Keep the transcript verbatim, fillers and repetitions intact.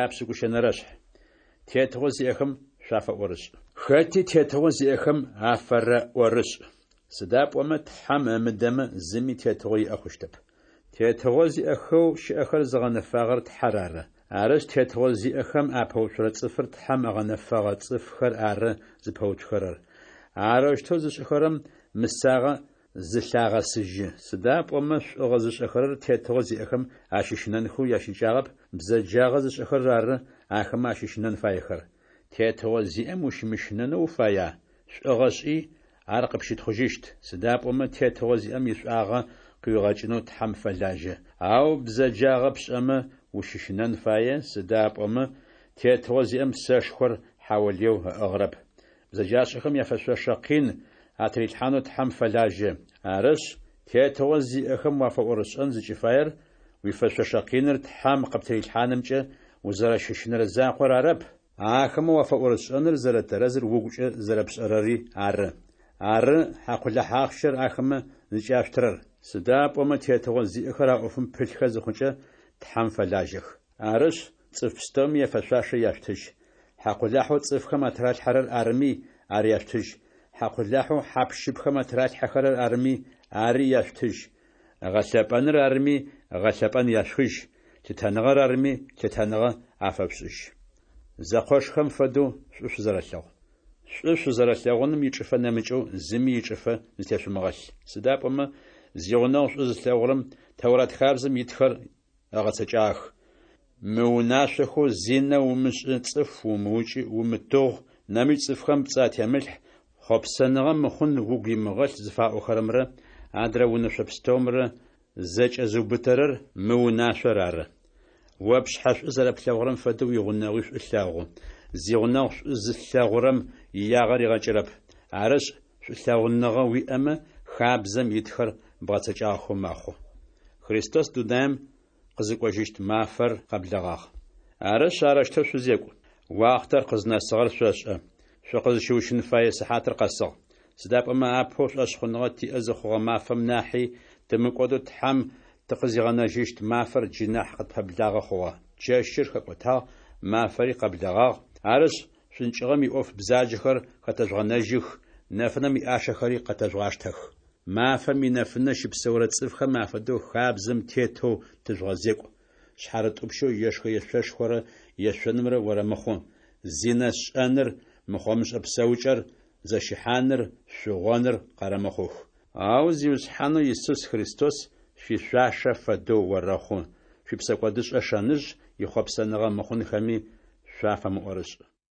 Япшӏыкӏущэнэрэшъхь. Тетыгъо зиӏэхэм шъуафэӏорышӏ. Хэти тетыгъо зиӏэхэм афэрэӏорышӏ. Сыда пӏомэ Тхьэм ымыдэмэ, зыми тетыгъо иӏэ хъущтэп. Тетыгъо зиӏэхэу щыӏэхэр зыгъэнэфагъэр Тхьэр ары. Арышъ, тетыгъо зиӏэхэм апэуцурэ цӏыфыр Тхьэм ыгъэнэфэгъэ цӏыфхэр ары зыпэуцухэрэр. Арэущтэу зышӏэхэрэм мысагъэ зылъагъэсыжьы. Сыда пӏомэ шӏугъэ зышӏэхэрэр тетыгъо зиӏэхэм ащыщынэнхэу ящыкӏагъэп, бзэджагъэ зышӏэхэрэр ары ахэмэ ащыщынэн фаехэр. Тетыгъо зиӏэм ущымыщынэнэу уфая? Шӏугъэ шӏи, ар къыпщытхъужьыщт, сыда пӏомэ тетыгъо зиӏэм ишӏуагъэ къыуигъэкӏынэу Тхьэм фэлажьэ. Ау бзэджагъэ пшӏэмэ, ущыщынэн фае, сыда пӏомэ тетыгъо зиӏэм сэшхор хьаулыеу ыӏыгъырэп. Бзэджашӏэхэм яфэшъошэ къин атырилъхьанэу Тхьэм фэлажьэ. Арышъ, тетыгъо зиӏэхэм уафэӏорышӏэн зыкӏыфаер уифэшъошэ къиныр Тхьэм къыптырилъхьанымкӏэ узэрэщыщынэрэ закъор арэп, ахэмэ уафэӏорышӏэныр зэрэтэрэзыр угукӏэ зэрэпшӏэрэри ары. Ары хьакъулахь ахъщэр ахэмэ зыкӏяшъутырэр. Сыда пӏомэ тетыгъо зиӏэхэр а ӏофым пылъхэ зыхъукӏэ, Тхьэм фэлажьэх. Арышъ, цӏыф пстэуми яфэшъуашэ яшъутыжь. Хьакъулахьэу цӏыфхэм атыралъхьэрэр арыми, ар яшъутыжь. Хьакъулахьэу хьап-щыпхэм атыралъхьэхэрэр арыми, ари яшъутыжь. Гъэлъэпӏэныр арыми, гъэлъэпӏэн яшъухыжь, лъытэныгъэр арыми, лъытэныгъэ афэшъушӏыжь. Зэкъошхэм фэдэу шӏу шъузэрэлъэгъу. Шӏу шъузэрэлъэгъуным ичӏыфэ нэмыкӏэу зыми ичӏыфэ зытешъумыгъэлъ. Сыда пӏомэ зигъунэгъу шӏу зылъэгъурэм Тэурат хабзэм итхэр ыгъэцэкӏагъэх. Мы унашъохэу «Зинэ умышӏы, цӏыф умыукӏы, умытыгъу, нэмыкӏ цӏыфхэм пцӏы атемылъхь, хъопсэныгъэ мыхъун угу имыгъэлъ» зыфаӏохэрэмрэ адрэ унэшъо пстэумрэ зэкӏэзыубытэрэр мы унашъор ары: «О пшъхьэ шӏу зэрэплъэгъурэм фэдэу уигъунэгъуи шӏу лъэгъу». Зигъунэгъу шӏу зылъэгъурэм иягъэ ригъэкӏырэп. Арышъ, шӏулъэгъуныгъэ уиӏэмэ, хабзэм итхэр бгъэцэкӏагъэхэу мэхъу. Христос дунаем къызыкӏожьыщт мафэр къэблэгъагъ. Арышъ, арэущтэу шъузекӏу. Уахътэр къызнэсыгъэр шъошӏэ. Шъукъызщыущын фэе сыхьатыр къэсыгъ. Сыда пӏомэ апэу шӏошъхъуныгъэ тиӏэ зыхъугъэ мафэм нахьи, тымыкӏодэу Тхьэм тыкъызигъэнэжьыщт мафэр джы нахь къытпэблагъэ хъугъэ. Чэщыр хэкӏотагъ, мафэри къэблэгъагъ. Арышъ, шӏункӏыгъэм иӏоф бзаджэхэр хэтэжъугъэнэжьых, нэфынэм иӏашэхэри къэтэжъугъаштэх. Мафэм инэфынэ щыпсэурэ цӏыфхэм афэдэу хабзэм тетэу тыжъугъэзекӏу. Шъхьарытӏупщэу ешхэ-ешъошхорэ ешъонымрэ орэмыхъу, зинэ шӏэныр, мыхъомышӏэ псэукӏэр, зэщыхьаныр, шъугъоныр къэрэмыхъух. Ау Зиусхьанэу Исус Христос шъуишъуашэ фэдэу орэхъу, шъуипсэкӏодышӏэ шэныжъ ихъопсэныгъэ мыхъунхэми шъуафэмыӏорышӏ.